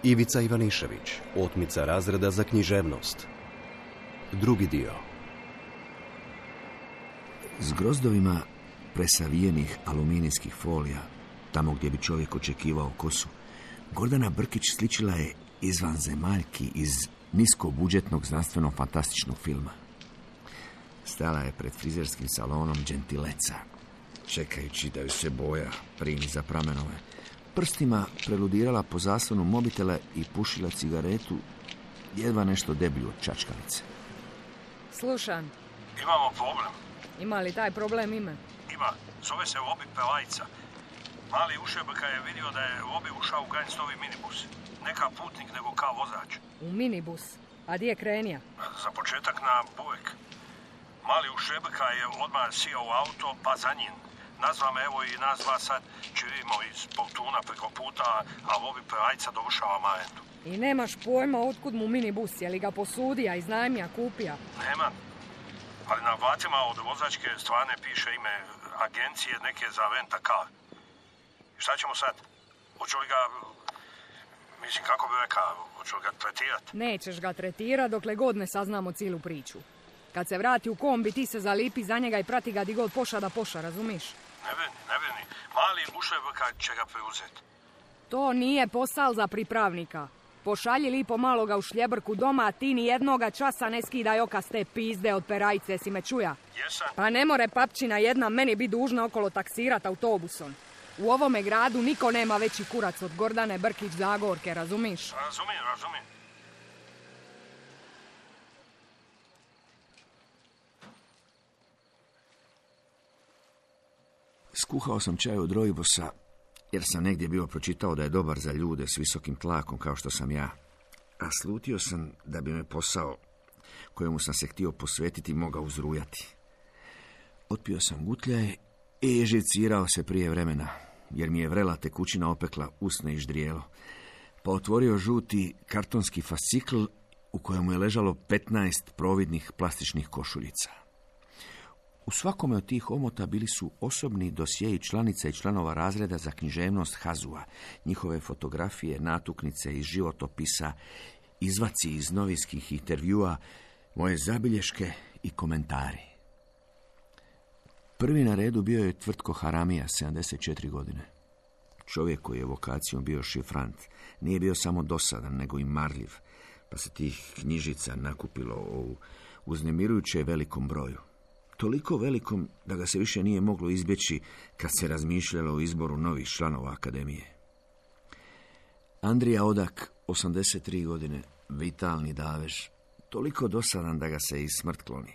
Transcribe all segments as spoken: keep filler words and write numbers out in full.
Ivica Ivanišević, otmica razreda za književnost. Drugi dio. S grozdovima presavijenih aluminijskih folija, tamo gdje bi čovjek očekivao kosu, Gordana Brkić sličila je izvanzemaljki iz niskobudžetnog znanstveno-fantastičnog filma. Stala je pred frizerskim salonom Gentileca, čekajući da ju se boja primi za pramenove. Prstima preludirala po zaslonu mobitela i pušila cigaretu, jedva nešto deblju od čačkalice. Slušam. Imamo problem. Ima li taj problem ime? Ima. Zove se Vobi Pelajca. Mali ušebka je vidio da je Vobi ušao u Gainstovi minibus. Neka putnik nego kao vozač. U minibus? A di je krenija? Za početak na Bujek. Mali ušebka je odmah sijao u auto, pa za njim. Nazva me, evo i nas dva sad čirimo iz Poltuna preko puta, a Vobi Pelajca dovršava Marentu. I nemaš pojma otkud mu minibus, je li ga posudija, iznajmija, kupija? Nemam. Ali na vratima od vozačke stvarne piše ime agencije neke za rent-a-car. Šta ćemo sad? Hoću li ga, mislim, kako bi rekao, hoću li ga tretirati? Nećeš ga tretirati dokle god ne saznamo cijelu priču. Kad se vrati u kombi, ti se zalipi za njega i prati ga di god poša da poša, razumiš? Ne veni, ne veni. Mali ušebka će ga preuzeti. To nije posal za pripravnika. Pošalji lipo maloga u šljebrku doma, a ti ni jednoga časa ne skidaj oka s te pizde od perajce, si me čuja? Jesam. Pa ne more papčina jedna meni bi dužna okolo taksirat autobusom. U ovome gradu niko nema veći kurac od Gordane Brkić Zagorke, razumiš? Razumijem, razumijem. Skuhao sam čaj od rojbosa, jer sam negdje bio pročitao da je dobar za ljude s visokim tlakom kao što sam ja. A slutio sam da bi me posao kojemu sam se htio posvetiti mogao uzrujati. Otpio sam gutljaj i živcirao se prije vremena, jer mi je vrela tekućina opekla usne i ždrijelo. Pa otvorio žuti kartonski fascikl u kojemu je ležalo petnaest providnih plastičnih košuljica. U svakome od tih omota bili su osobni dosjeji članica i članova razreda za književnost Hazua, njihove fotografije, natuknice iz životopisa, izvaci iz novinskih intervjua, moje zabilješke i komentari. Prvi na redu bio je Tvrtko Haramija, sedamdeset četiri godine. Čovjek koji je vokacijom bio šifrant, nije bio samo dosadan, nego i marljiv, pa se tih knjižica nakupilo u uznemirujuće velikom broju. Toliko velikom da ga se više nije moglo izbjeći kad se razmišljalo o izboru novih članova akademije. Andrija Odak, osamdeset tri godine, vitalni davež, toliko dosadan da ga se i smrt kloni.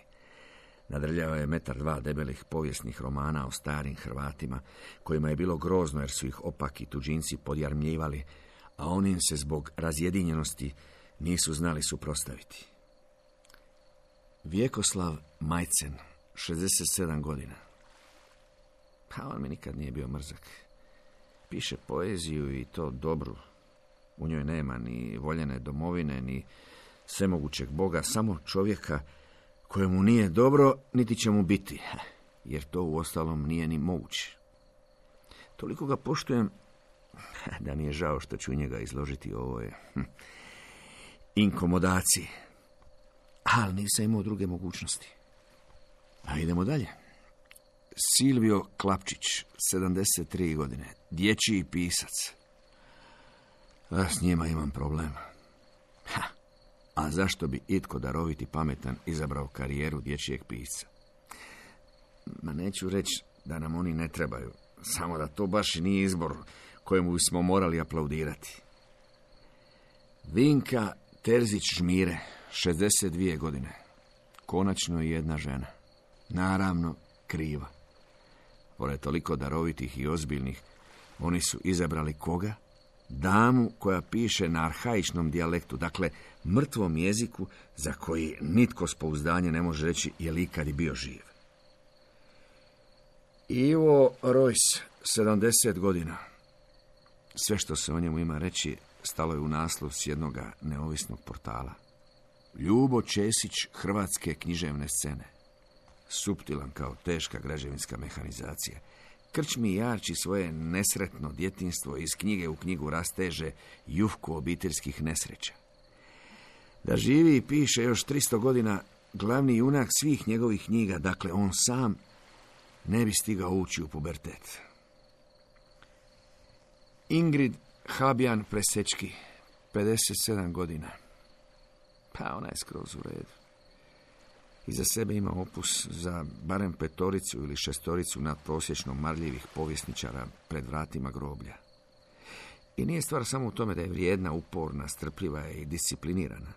Nadrljao je metar dva debelih povijesnih romana o starim Hrvatima, kojima je bilo grozno jer su ih opaki tuđinci podjarmljivali, a oni im se zbog razjedinjenosti nisu znali suprotstaviti. Vjekoslav Majcen, šezdeset sedam godina. Pa on mi nikad nije bio mrzak. Piše poeziju i to dobru. U njoj nema ni voljene domovine, ni svemogućeg Boga, samo čovjeka kojemu nije dobro, niti će mu biti, jer to uostalom nije ni moguće. Toliko ga poštujem da mi je žao što ću njega izložiti u ovoj hm, inkomodaciji. Ali nisam imao druge mogućnosti. A idemo dalje. Silvio Klapčić, sedamdeset tri godine, dječji pisac. A s njima imam problema. Ha, a zašto bi itko daroviti pametan izabrao karijeru dječjeg pisca? Ma neću reći da nam oni ne trebaju, samo da to baš i nije izbor kojemu smo morali aplaudirati. Vinka Terzić-Žmire, šezdeset dvije godine, konačno i jedna žena. Naravno, kriva. Pored toliko darovitih i ozbiljnih, oni su izabrali koga? Damu koja piše na arhaičnom dijalektu, dakle mrtvom jeziku za koji nitko s pouzdanjem ne može reći je li ikad i bio živ. Ivo Rojs, sedamdeset godina. Sve što se o njemu ima reći stalo je u naslov s jednoga neovisnog portala. Ljubo Česić hrvatske književne scene. Suptilan kao teška građevinska mehanizacija. krčmi jarči svoje nesretno djetinjstvo, iz knjige u knjigu rasteže jufku obiteljskih nesreća. Da živi i piše još tristo godina, glavni junak svih njegovih knjiga, dakle on sam, ne bi stigao ući u pubertet. Ingrid Habjan Presečki, pedeset sedam godina. Pa ona je skroz u redu. Iza sebe ima opus za barem petoricu ili šestoricu nadprosječno marljivih povjesničara pred vratima groblja. I nije stvar samo u tome da je vrijedna, uporna, strpljiva i disciplinirana.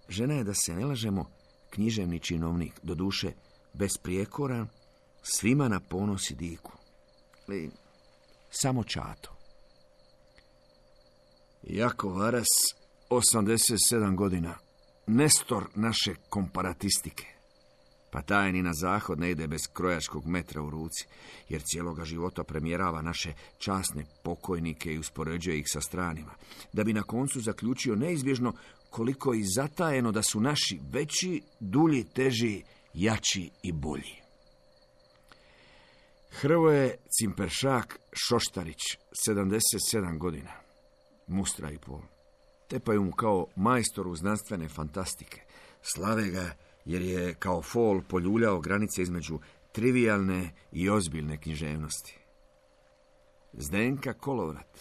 Žena je, da se ne lažemo, književni činovnik, doduše besprijekoran, svima na ponos i diku. Ali samo čato. Jako Varas, osamdeset sedam godina, nestor naše komparatistike. Pa taj ni na zahod ne ide bez krojačkog metra u ruci, jer cijeloga života premjerava naše časne pokojnike i uspoređuje ih sa stranima, da bi na koncu zaključio neizbježno koliko i zatajeno da su naši veći, dulji, teži, jači i bolji. Hrvoje Cimperšak Šoštarić, sedamdeset sedam godina, mustra i pol. Tepaju mu kao majstoru znanstvene fantastike. Slave ga jer je kao fol poljuljao granice između trivijalne i ozbiljne književnosti. Zdenka Kolovrat,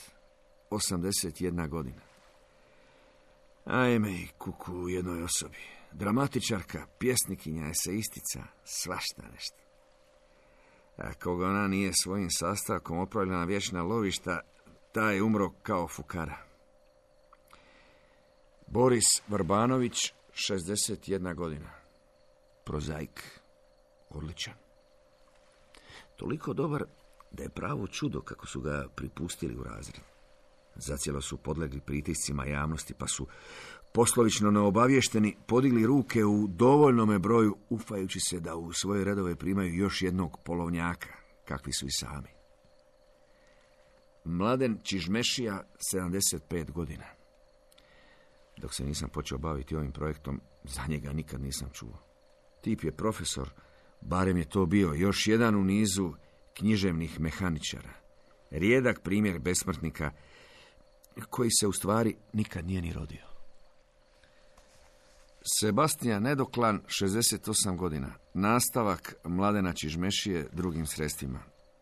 osamdeset jedna godina. Ajme i kuku u jednoj osobi. Dramatičarka, pjesnikinja, eseistica, svašta nešto. A koga ona nije svojim sastavkom opravljena vječna lovišta, taj je umro kao fukara. Boris Vrbanović, šezdeset jedna godina. Prozaik, odličan. Toliko dobar da je pravo čudo kako su ga pripustili u razred. Zacijelo su podlegli pritiscima javnosti, pa su poslovično neobavješteni podigli ruke u dovoljnome broju, ufajući se da u svoje redove primaju još jednog polovnjaka, kakvi su i sami. Mladen Čižmešija, sedamdeset pet godina. Dok se nisam počeo baviti ovim projektom, za njega nikad nisam čuo. Tip je profesor, barem je to bio još jedan u nizu književnih mehaničara. Rijedak primjer besmrtnika koji se u stvari nikad nije ni rodio. Sebastijan Nedoklan, šezdeset osam godina. Nastavak Mladena Čižmešije drugim sredstvima.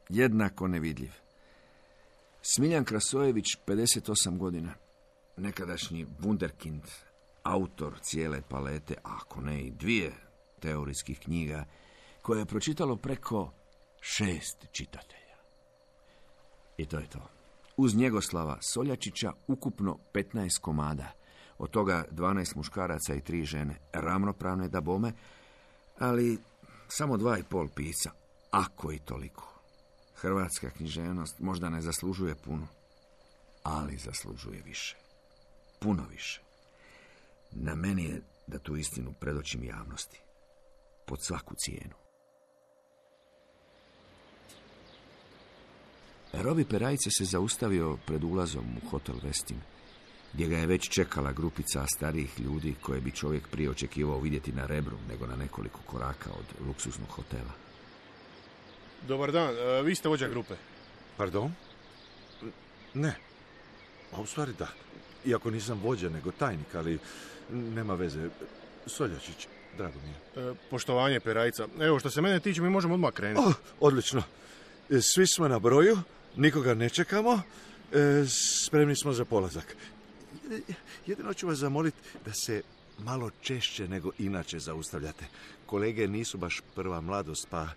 Jednako nevidljiv. Smiljan Krasojević, pedeset osam godina. Nekadašnji wunderkind, autor cijele palete, ako ne i dvije teorijskih knjiga, koje je pročitalo preko šest čitatelja. I to je to. Uz Njegoslava Soljačića ukupno petnaest komada, od toga dvanaest muškaraca i tri žene, ravnopravne dabome, ali samo dva i pol pisca, ako i toliko. Hrvatska književnost možda ne zaslužuje puno, ali zaslužuje više. Puno više. Na meni je da tu istinu predočim javnosti. Pod svaku cijenu. Robi Perajce se zaustavio pred ulazom u hotel Westin, gdje ga je već čekala grupica starijih ljudi koje bi čovjek prije očekivao vidjeti na Rebru nego na nekoliko koraka od luksuznog hotela. Dobar dan, e, vi ste vođa grupe. Pardon? Ne. A u stvari da. Iako nisam vođa nego tajnik, ali nema veze. Soljačić, drago mi je. E, poštovanje Perajca. Evo, što se mene tiče, mi možemo odmah krenuti. Oh, odlično. Svi smo na broju, nikoga ne čekamo, e, spremni smo za polazak. Jedino ću vas zamoliti da se malo češće nego inače zaustavljate. Kolege nisu baš prva mladost, pa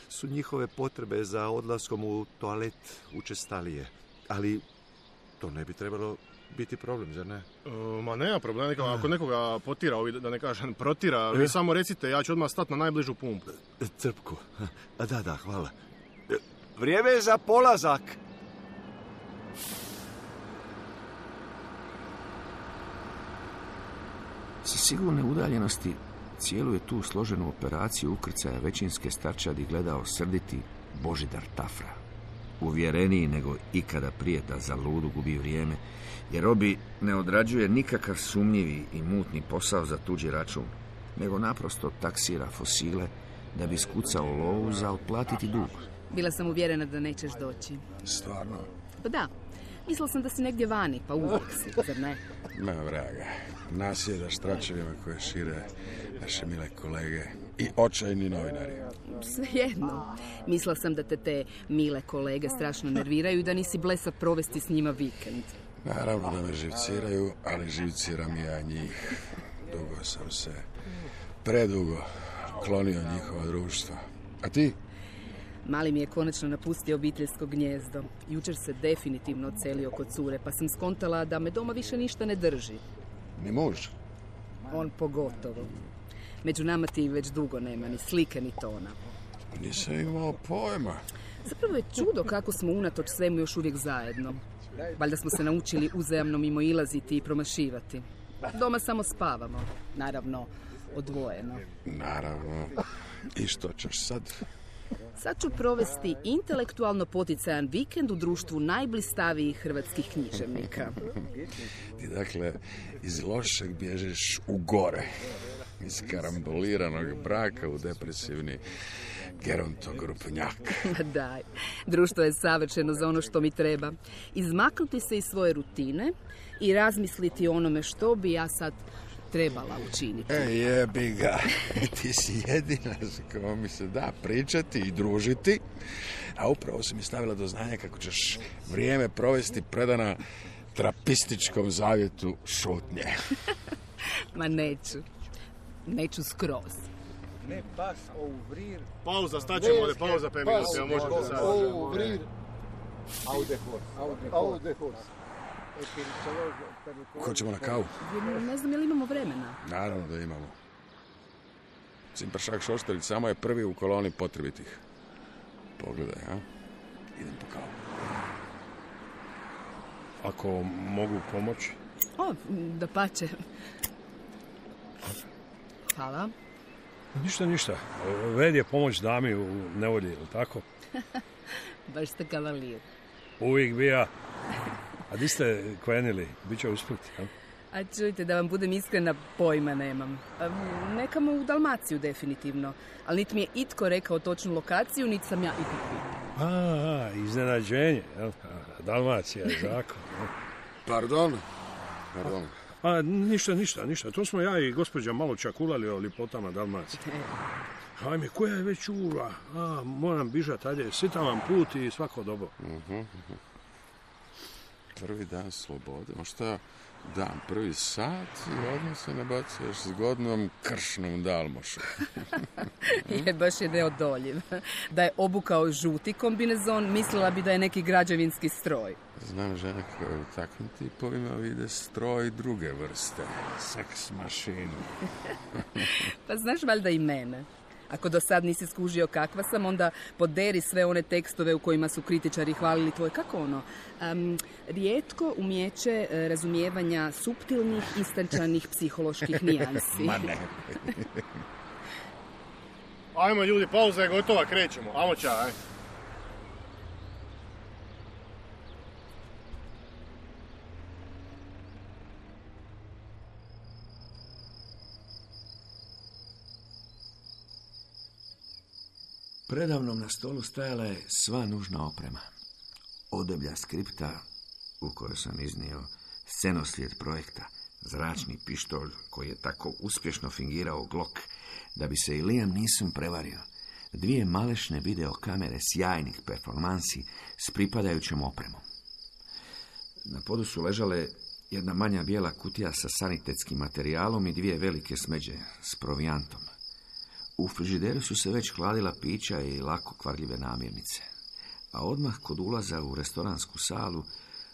su njihove potrebe za odlaskom u toalet učestalije. Ali to ne bi trebalo biti problem, zar ne? E, ma nema problema, ako nekoga potira, da ne kažem protira, vi samo recite, ja ću odmah stati na najbližu pumpu. Crpku. Da, da, hvala. Vrijeme je za polazak. Sa sigurne udaljenosti cijelu je tu složenu operaciju ukrcaja većinske starčadi gledao srditi Božidar Tafra. Uvjereniji nego ikada prije da za ludu gubi vrijeme, jer Robi ne odrađuje nikakav sumnjivi i mutni posao za tuđi račun, nego naprosto taksira fosile da bi skucao lovu za otplatiti dug. Bila sam uvjerena da nećeš doći. Stvarno? Pa da, mislila sam da si negdje vani, pa uvijek si, zar ne? Ma vraga, nasjedaš tračevima koje šire naše mile kolege i očajni novinari. Svejedno. Mislila sam da te te mile kolege strašno nerviraju i da nisi blesav provesti s njima vikend. Naravno da me živciraju, ali živciram ja njih. Dugo sam se, predugo, klonio njihovo društvo. A ti? Mali mi je konačno napustio obiteljsko gnjezdo. Jučer se definitivno odselio kod cure, pa sam skontala da me doma više ništa ne drži. Ni muž? On pogotovo. Među nama ti već dugo nema ni slike ni tona. Nisam imao pojma. Zapravo je čudo kako smo unatoč svemu još uvijek zajedno. Valjda smo se naučili uzajamno mimo ilaziti i promašivati. Doma samo spavamo. Naravno, odvojeno. Naravno. I što ćeš sad? Sad ću provesti intelektualno poticajan vikend u društvu najblistavijih hrvatskih književnika. Ti dakle iz lošeg bježeš u gore. Iz karamboliranog braka u depresivni gerontogrupnjak. Daj, društvo je savršeno za ono što mi treba. Izmaknuti se iz svoje rutine i razmisliti o onome što bi ja sad trebala učiniti. E, jebi ga. Ti si jedina s kojom mi se da pričati i družiti, a upravo si mi stavila do znanja kako ćeš vrijeme provesti predana trapističkom zavjetu šutnje. Ma neću. Neću skroz. Ne pas ouvrir. Pauza, staćemo ovdje, pauza pet minuta, evo možete sad. Ouvrir. Au de horse. Au de horse. Hoćemo na kavu? Ne znam je li imamo vremena. Naravno da imamo. Cimpršak Šoštarić samo je prvi u koloni potrebitih. Pogledaj, a? Idem po kavu. Ako mogu pomoći? O, da pače. Hvala. Ništa, ništa. Ved je pomoć dami u nevolji, ili tako? Baš ste kavalir. Uvijek bi ja. A di ste krenili? Biće usput, ja? A čujte, da vam budem iskrena, pojma nemam. A, nekamo u Dalmaciju definitivno. Ali niti mi je itko rekao točnu lokaciju, niti sam ja itko pitao. A, iznenađenje. Jel? Dalmacija je zakon. Pardon? Pardon. A, ništa, ništa, ništa. To smo ja i gospođa malo čakulali o lipotama Dalmacije. Hajme, koja je već ura? A, moram bižat, ajde, sitam vam put i svako dobro. Uh-huh, uh-huh. Prvi dan slobode, možda dan, prvi sat i odmah se nabacuješ s godnom kršnom dalmošom. Je, baš je neodoljiv. Da je obukao žuti kombinezon, mislila bi da je neki građevinski stroj. Znam žene koje u takvim tipovima vide stroj druge vrste. Seks mašinu. Pa znaš valjda i mene. Ako do sad nisi skužio kakva sam, onda poderi sve one tekstove u kojima su kritičari hvalili tvoje, kako ono, um, rijetko umjeće uh, razumijevanja suptilnih, istančanih psiholoških nijansi. Ma ne. Ajmo ljudi, pauza je gotova, krećemo. Amo ča, aj. Predavnom na stolu stajala je sva nužna oprema. Odeblja skripta u kojoj sam iznio scenoslijed projekta, zračni pištolj koji je tako uspješno fingirao Glock da bi se i Liam Neeson prevario, dvije malešne videokamere sjajnih performansi s pripadajućom opremom. Na podu su ležale jedna manja bijela kutija sa sanitetskim materijalom i dvije velike smeđe s provijantom. U frižideru su se već hladila pića i lako kvarljive namirnice, a odmah kod ulaza u restoransku salu,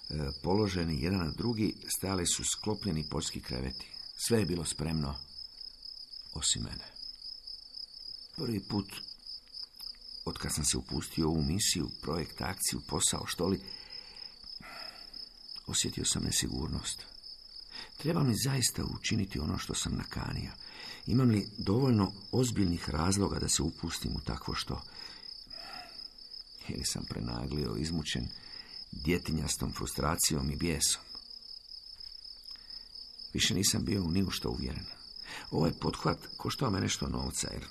e, položeni jedan na drugi, stajali su sklopljeni poljski kreveti. Sve je bilo spremno, osim mene. Prvi put, otkad sam se upustio u ovu misiju, projekt, akciju, posao, što li, osjetio sam nesigurnost. Trebam li zaista učiniti ono što sam nakanio? Imam li dovoljno ozbiljnih razloga da se upustim u takvo što? Ili sam prenaglio, izmučen djetinjastom frustracijom i bijesom? Više nisam bio ni u što uvjeren. Ovaj pothvat koštao me nešto novca, jer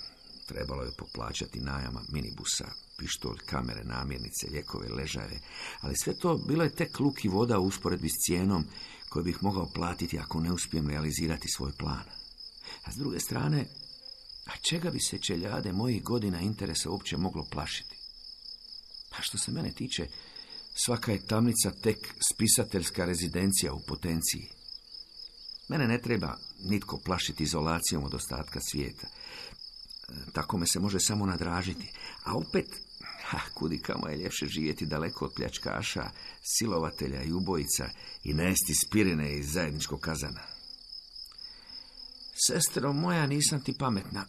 trebalo je poplaćati najama minibusa, pištolj, kamere, namirnice, lijekove, ležaje, ali sve to bilo je tek luk i voda u usporedbi s cijenom koju bih mogao platiti ako ne uspijem realizirati svoj plan. A s druge strane, a čega bi se čeljade mojih godina interesa uopće moglo plašiti? Pa što se mene tiče, svaka je tamnica tek spisateljska rezidencija u potenciji. Mene ne treba nitko plašiti izolacijom od ostatka svijeta. Tako me se može samo nadražiti. A opet, ha, kudi kamo je ljepše živjeti daleko od pljačkaša, silovatelja i ubojica i nesti spirine iz zajedničkog kazana. Sestro moja, nisam ti pametna,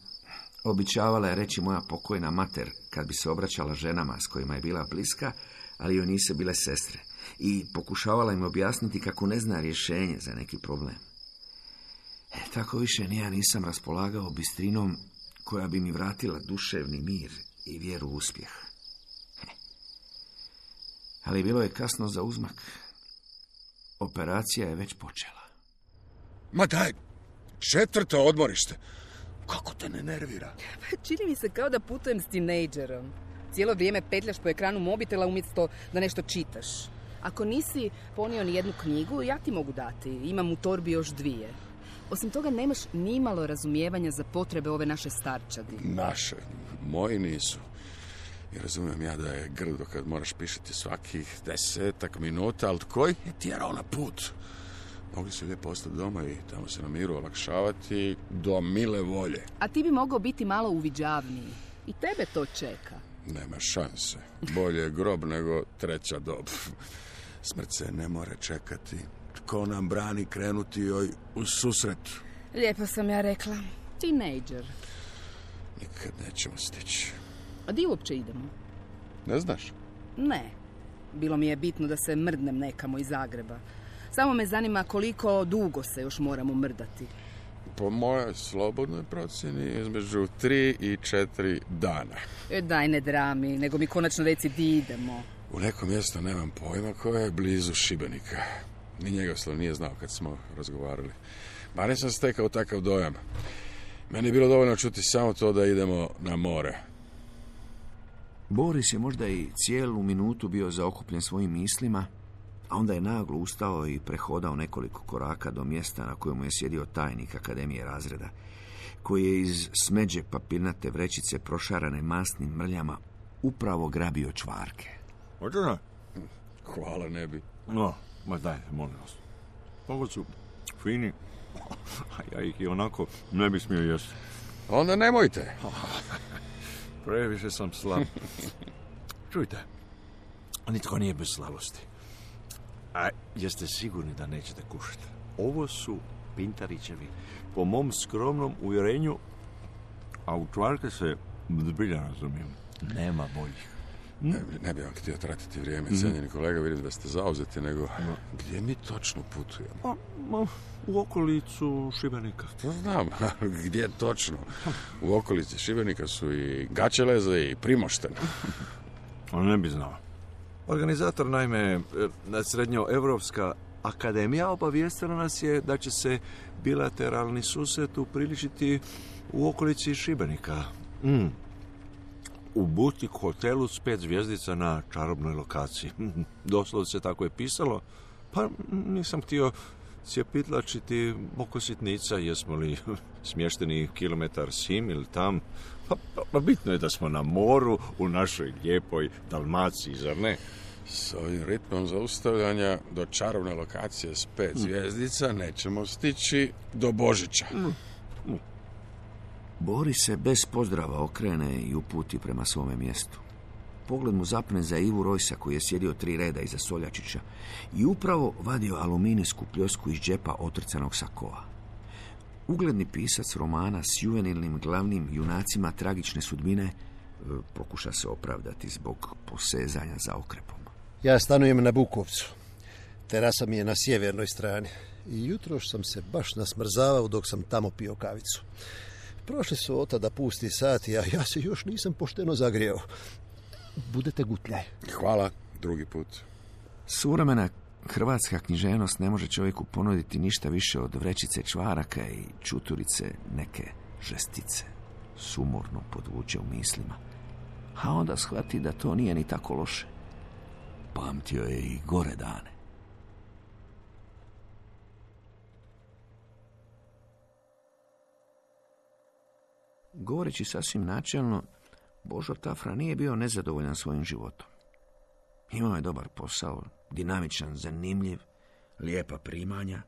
običavala je reći moja pokojna mater kad bi se obraćala ženama s kojima je bila bliska, ali joj nisu bile sestre, i pokušavala im objasniti kako ne zna rješenje za neki problem. E, tako više ni ja nisam raspolagao bistrinom koja bi mi vratila duševni mir i vjeru u uspjeh. He. Ali bilo je kasno za uzmak. Operacija je već počela. Ma daj, četvrto odmorište. Kako te ne nervira? Čini mi se kao da putujem s tinejdžerom. Cijelo vrijeme petljaš po ekranu mobitela umjesto da nešto čitaš. Ako nisi ponio ni jednu knjigu, ja ti mogu dati. Imam u torbi još dvije. Osim toga, nemaš nimalo razumijevanja za potrebe ove naše starčadi. Naše, moji nisu. I razumijem ja da je grdo kad moraš pišiti svakih desetak minuta, ali tko je tjerao na put? Mogli su lijepo ostati doma i tamo se na miru olakšavati do mile volje. A ti bi mogao biti malo uviđavniji. I tebe to čeka. Nema šanse. Bolje je grob nego treća dob. Smrt se ne more čekati. Tko nam brani krenuti joj u susret? Lijepo sam ja rekla. Tinejdžer. Nikad nećemo stići. A di uopće idemo? Ne znaš? Ne. Bilo mi je bitno da se mrdnem nekamo iz Zagreba. Samo me zanima koliko dugo se još moramo mrdati. Po mojoj slobodnoj procjeni između tri i četiri dana. E, daj ne drami, nego mi konačno reci di idemo. U neko mjesto nemam pojma koje je blizu Šibenika. Ni Njegoslav nije znao kad smo razgovarali. Barem sam stekao takav dojam. Meni je bilo dovoljno čuti samo to da idemo na more. Boris je možda i cijelu minutu bio zaokupljen svojim mislima, a onda je naglo ustao i prehodao nekoliko koraka do mjesta na kojemu je sjedio tajnik Akademije razreda, koji je iz smeđe papirnate vrećice prošarane masnim mrljama upravo grabio čvarke. Hoćeš? Hvala, ne bi. No, ma daj, molim vas. Ovo su fini, a ja ih i onako ne bi smio jesti. Onda nemojte. Previše sam slab. Čujte, nitko nije bez slabosti. A jeste sigurni da nećete kušati? Ovo su Pintarićevi, po mom skromnom uvjerenju, a u čvarke se zbilja razumijem. Nema boljih. Ne, ne bi vam htio tratiti vrijeme, cijenjeni kolega, vidim da ste zauzeti, nego no. Gdje mi točno putujemo? Ma, ma, u okolicu Šibenika. To znam, gdje točno? U okolici Šibenika su i Gaćeleze i Primošten. On ne bi znao. Organizator, naime, Srednjoevropska akademija obavijestila nas je da će se bilateralni susret upriličiti u okolici Šibenika. Mm. U butik hotelu s pet zvjezdica na čarobnoj lokaciji. Doslovce tako je pisalo, pa nisam htio cijepitlačiti oko sitnica, jesmo li smješteni kilometar sim ili tam. Pa, pa, pa bitno je da smo na moru u našoj lijepoj Dalmaciji, zar ne? S ovim ritmom zaustavljanja do čarobne lokacije s pet mm. zvjezdica nećemo stići do Božića. Mm. Mm. Boris se bez pozdrava okrene i uputi prema svome mjestu. Pogled mu zapne za Ivu Rojsa, koji je sjedio tri reda iza Soljačića i upravo vadio aluminijsku pljosku iz džepa otrcanog sakoa. Ugledni pisac romana s juvenilnim glavnim junacima tragične sudbine pokuša se opravdati zbog posezanja za okrepom. Ja stanujem na Bukovcu. Terasa mi je na sjevernoj strani. I jutroš sam se baš nasmrzavao dok sam tamo pio kavicu. Prošli su od tada pusti sati, a ja se još nisam pošteno zagrijao. Budete gutljaj. Hvala, drugi put. Suvremena hrvatska književnost ne može čovjeku ponuditi ništa više od vrećice čvaraka i čuturice neke žestice. sumorno podvuče u mislima, a onda shvati da to nije ni tako loše. Pamtio je i gore dane. Govoreći sasvim načelno, Božo Tafra nije bio nezadovoljan svojim životom. Imao je dobar posao, dinamičan, zanimljiv, lijepa primanja,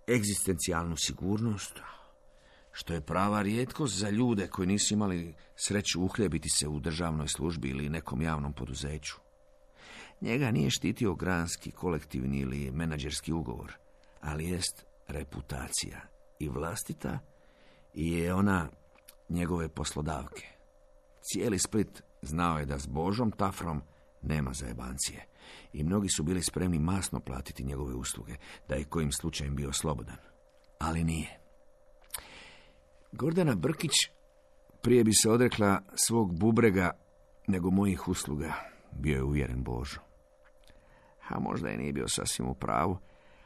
egzistencijalnu sigurnost, što je prava rijetkost za ljude koji nisu imali sreću uhljebiti se u državnoj službi ili nekom javnom poduzeću. Njega nije štitio granski, kolektivni ili menadžerski ugovor, ali jest reputacija i vlastita i je ona njegove poslodavke. Cijeli Split znao je da s Božom Tafrom nema zajebancije i mnogi su bili spremni masno platiti njegove usluge, da je kojim slučajem bio slobodan. Ali nije. Gordana Brkić prije bi se odrekla svog bubrega nego mojih usluga, bio je uvjeren Božo. A možda je nije bio sasvim u pravu,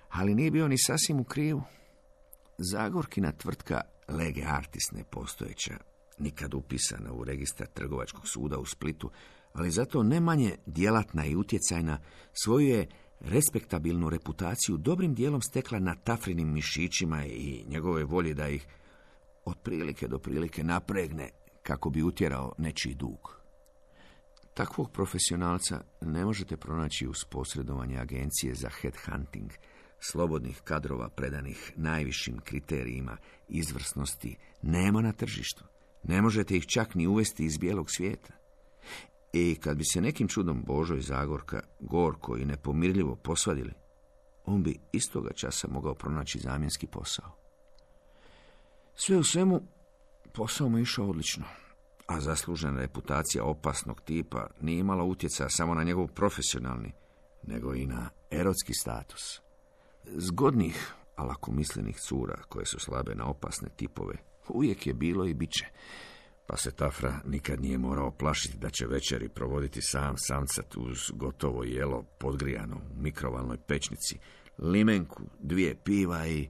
ali nije bio ni sasvim u krivu. Zagorkina tvrtka Lege Artis nepostojeća, nikad upisana u registar trgovačkog suda u Splitu, ali zato ne manje djelatna i utjecajna, svoju je respektabilnu reputaciju dobrim dijelom stekla na Tafrinim mišićima i njegove volje da ih od prilike do prilike napregne kako bi utjerao nečiji dug. Takvog profesionalca ne možete pronaći uz posredovanje agencije za headhunting, slobodnih kadrova predanih najvišim kriterijima izvrsnosti nema na tržištu. Ne možete ih čak ni uvesti iz bijelog svijeta. I kad bi se nekim čudom Božo i Zagorka gorko i nepomirljivo posvadili, on bi istoga časa mogao pronaći zamjenski posao. Sve u svemu, posao mu išao odlično, a zaslužena reputacija opasnog tipa nije imala utjecaja samo na njegov profesionalni, nego i na erotski status. Zgodnih, a lakomislenih cura koje su slabe na opasne tipove uvijek je bilo i bit će, pa se Tafra nikad nije morao plašiti da će večeri provoditi sam samcat uz gotovo jelo podgrijano u mikrovalnoj pečnici, limenku, dvije piva i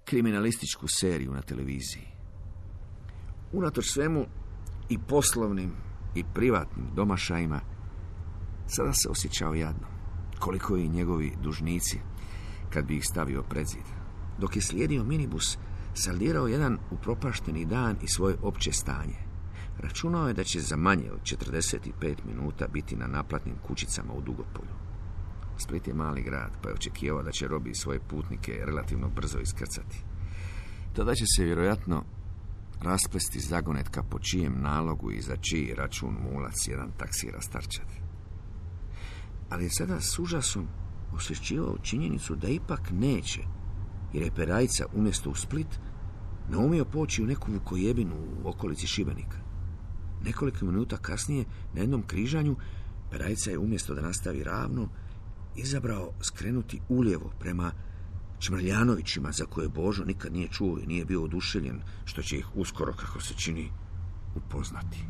kriminalističku seriju na televiziji. Unatoč svemu i poslovnim i privatnim domašajima sada se osjećao jadno, koliko i njegovi dužnici kad bi ih stavio pred zid. Dok je slijedio minibus, saldirao jedan upropašteni dan i svoje opće stanje. Računao je da će za manje od četrdeset pet minuta biti na naplatnim kućicama u Dugopolju. Split je mali grad, pa je očekivao da će Robi svoje putnike relativno brzo iskrcati. Tada će se vjerojatno rasplesti zagonetka po čijem nalogu i za čiji račun mulac jedan taksi rastarčati. Ali je sada s užasom osjećivao činjenicu da ipak neće, jer je Perajca umjesto u Split naumio poći u neku vukojebinu u okolici Šibenika. Nekoliko minuta kasnije, na jednom križanju, Perajca je umjesto da nastavi ravno, izabrao skrenuti ulijevo prema Čmrljanovićima, za koje Božo nikad nije čuo i nije bio oduševljen, što će ih uskoro, kako se čini, upoznati.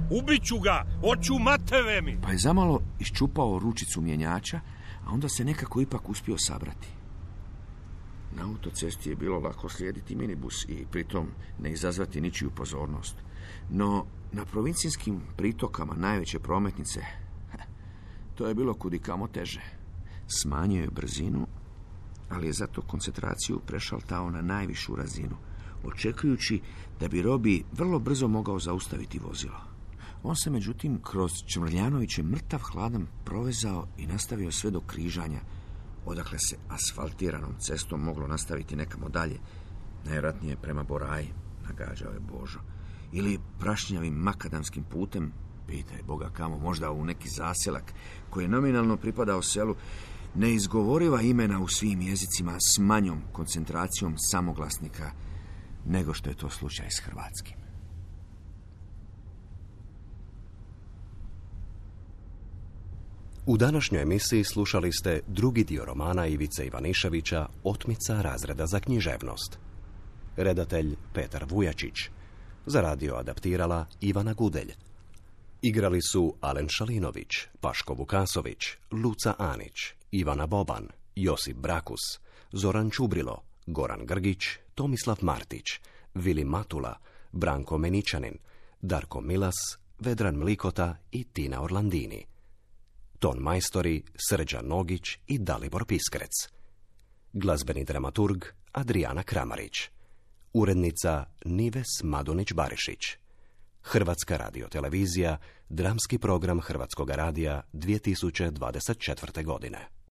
Ubiću ga, oću mateve mi! Pa je zamalo iščupao ručicu mjenjača, a onda se nekako ipak uspio sabrati. Na autocesti je bilo lako slijediti minibus i pritom ne izazvati ničiju pozornost. No, na provincijskim pritokama najveće prometnice, to je bilo kudikamo teže. Smanjio je brzinu, ali je zato koncentraciju prešaltao na najvišu razinu, očekujući da bi Robi vrlo brzo mogao zaustaviti vozilo. On se, međutim, kroz Čmrljanoviće mrtav hladan provezao i nastavio sve do križanja, odakle se asfaltiranom cestom moglo nastaviti nekamo dalje, najvjerojatnije prema Boraji, nagađao je Božo, ili prašnjavim makadamskim putem, pitaj Boga kamo, možda u neki zaselak koji je nominalno pripadao selu, neizgovoriva imena u svim jezicima s manjom koncentracijom samoglasnika nego što je to slučaj s hrvatskim. U današnjoj emisiji slušali ste drugi dio romana Ivice Ivaniševića Otmica razreda za književnost. Redatelj Petar Vujačić. Za radio adaptirala Ivana Gudelj. Igrali su Alen Šalinović, Paško Vukasović, Luca Anić, Ivana Boban, Josip Brakus, Zoran Čubrilo, Goran Grgić, Tomislav Martić, Vili Matula, Branko Meničanin, Darko Milas, Vedran Mlikota i Tina Orlandini. Ton majstori Srđan Nogić i Dalibor Piskrec. Glazbeni dramaturg Adrijana Kramarić. Urednica Nives Madunić-Barišić. Hrvatska radiotelevizija, dramski program Hrvatskog radija dvije tisuće dvadeset četvrte. godine.